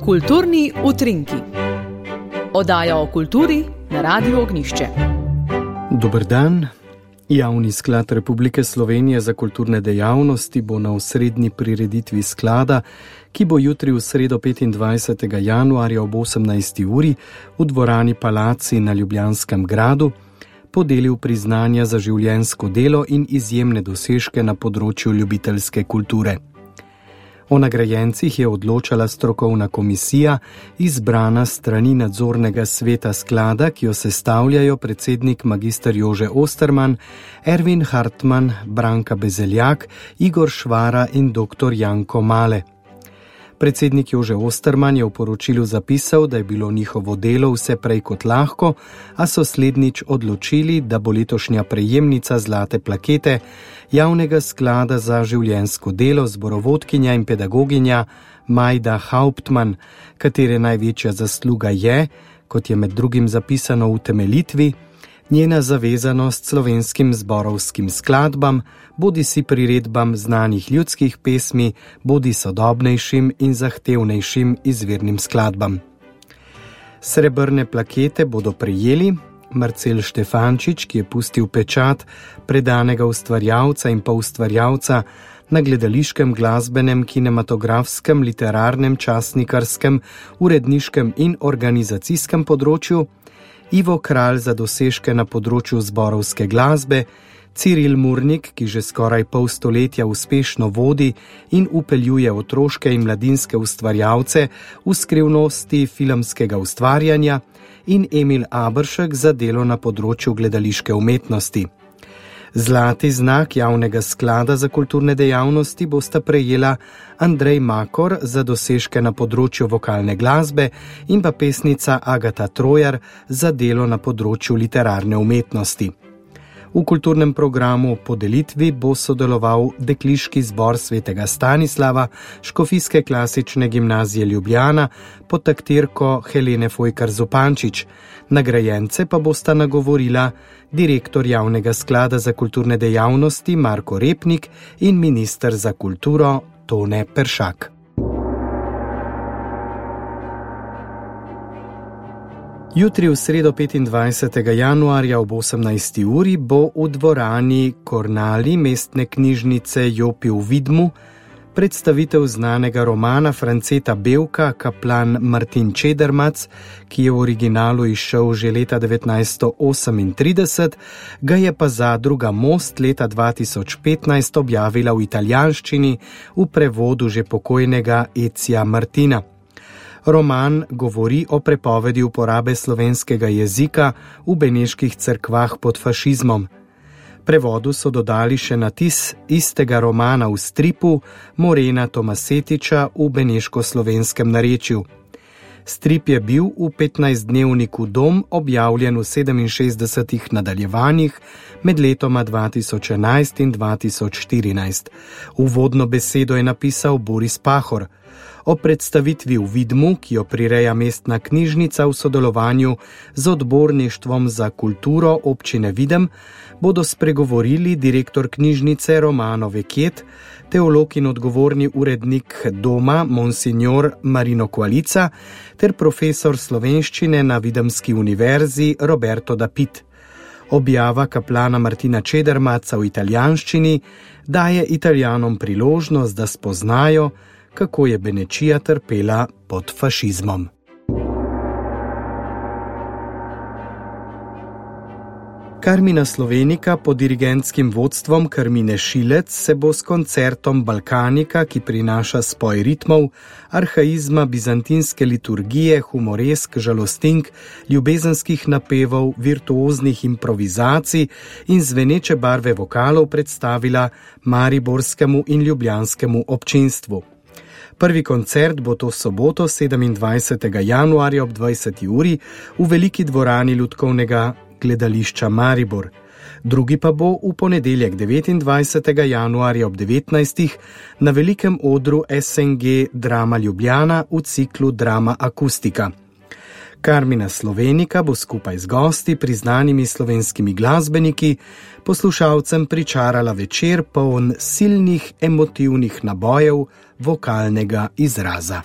Kulturni utrinki. Oddaja o kulturi na Radiu Ognjišče. Dober dan. Javni sklad Republike Slovenije za kulturne dejavnosti bo na osrednji prireditvi sklada, ki bo jutri v sredo 25. januarja ob 18. uri v dvorani Palaci na Ljubljanskem gradu podelil priznanja za življenjsko delo in izjemne dosežke na področju ljubiteljske kulture. O nagrajencih je odločala strokovna komisija, izbrana s strani nadzornega sveta sklada, ki jo sestavljajo predsednik magister Jože Osterman, Ervin Hartman, Branka Bezeljak, Igor Švara in dr. Janko Male. Predsednik Jože Osterman je v poročilu zapisal, da je bilo njihovo delo vse prej kot lahko, a so slednjič odločili, da bo letošnja prejemnica zlate plakete Javnega sklada za življenjsko delo zborovodkinja in pedagoginja Majda Hauptmann, katere največja zasluga je, kot je med drugim zapisano v utemeljitvi, njena zavezanost slovenskim zborovskim skladbam, bodisi priredbam znanih ljudskih pesmi, bodi sodobnejšim in zahtevnejšim izvirnim skladbam. Srebrne plakete bodo prejeli Marcel Štefančič, ki je pustil pečat predanega ustvarjalca in poustvarjalca na gledališkem, glasbenem, kinematografskem, literarnem, časnikarskem, uredniškem in organizacijskem področju, Ivo Kralj za dosežke na področju zborovske glasbe, Ciril Murnik, ki že skoraj pol stoletja uspešno vodi in upeljuje otroške in mladinske ustvarjalce v skrivnosti filmskega ustvarjanja, in Emil Aberšek za delo na področju gledališke umetnosti. Zlati znak Javnega sklada za kulturne dejavnosti bosta prejela Andrej Makor za dosežke na področju vokalne glasbe in pa pesnica Agata Trojar za delo na področju literarne umetnosti. V kulturnem programu podelitvi bo sodeloval Dekliški zbor svetega Stanislava Škofijske klasične gimnazije Ljubljana pod taktirko Helene Fojkar Zupančič. Nagrajence pa bosta nagovorila direktor Javnega sklada za kulturne dejavnosti Marko Repnik in minister za kulturo Tone Peršak. Jutri v sredo 25. januarja ob 18. uri bo v dvorani Kornali mestne knjižnice Jopi v Vidmu predstavitev znanega romana Franceta Bevka Kaplan Martin Čedermac, ki je v originalu izšel že leta 1938, ga je pa zadruga Most leta 2015 objavila v italijanščini v prevodu že pokojnega Ezia Martina. Roman govori o prepovedi uporabe slovenskega jezika v beneških cerkvah pod fašizmom. Prevodu so dodali še natis istega romana v stripu Morena Tomasetiča v beneško-slovenskem narečju. Strip je bil v 15-dnevniku Dom objavljen v 67 nadaljevanjih med letoma 2011 in 2014. Uvodno besedo je napisal Boris Pahor. O predstavitvi v Vidmu, ki jo prireja mestna knjižnica v sodelovanju z odborništvom za kulturo občine Videm, bodo spregovorili direktor knjižnice Romano Veket, teolog in odgovorni urednik doma Monsignor Marino Kvalica ter profesor slovenščine na Videmski univerzi Roberto Dapit. Objava kaplana Martina Čedermaca v italijanščini daje Italijanom priložnost, da spoznajo, kako je Benečija trpela pod fašizmom. Karmina Slovenika pod dirigentskim vodstvom Karmine Šilec se bo s koncertom Balkanika, ki prinaša spoj ritmov, arhaizma, bizantinske liturgije, humoresk, žalostink, ljubezenskih napevov, virtuoznih improvizacij in zveneče barve vokalov predstavila mariborskemu in ljubljanskemu občinstvu. Prvi koncert bo to soboto 27. januarja ob 20. uri v veliki dvorani Lutkovnega gledališča Maribor. Drugi pa bo v ponedeljek 29. januarja ob 19. na velikem odru SNG Drama Ljubljana v ciklu Drama Akustika. Karmina Slovenika bo skupaj z gosti, priznanimi slovenskimi glasbeniki, poslušalcem pričarala večer poln silnih emotivnih nabojev vokalnega izraza.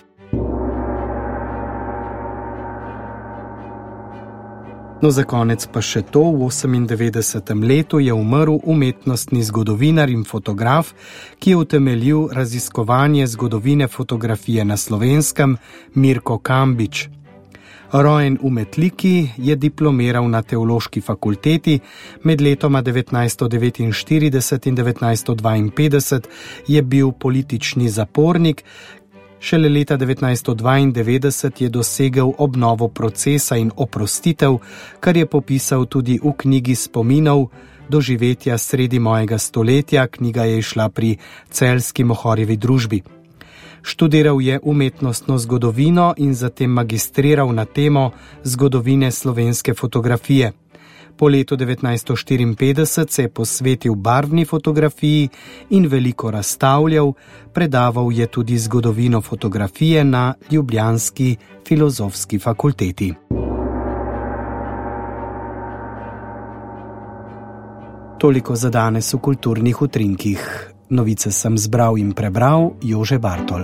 No, za konec pa še to, v 98. letu je umrl umetnostni zgodovinar in fotograf, ki je utemeljil raziskovanje zgodovine fotografije na Slovenskem, Mirko Kambič. Rojen v Metliki, je diplomiral na Teološki fakulteti, med letoma 1949 in 1952 je bil politični zapornik, šele leta 1992 je dosegel obnovo procesa in oprostitev, kar je popisal tudi v knjigi spominov Doživetja sredi mojega stoletja, knjiga je izšla pri Celjski Mohorjevi družbi. Študiral je umetnostno zgodovino in zatem magistriral na temo zgodovine slovenske fotografije. Po letu 1954 se je posvetil barvni fotografiji in veliko razstavljal, predaval je tudi zgodovino fotografije na ljubljanski filozofski fakulteti. Toliko za danes v kulturnih utrinkih. Novice sem zbral in prebral Jože Bartol.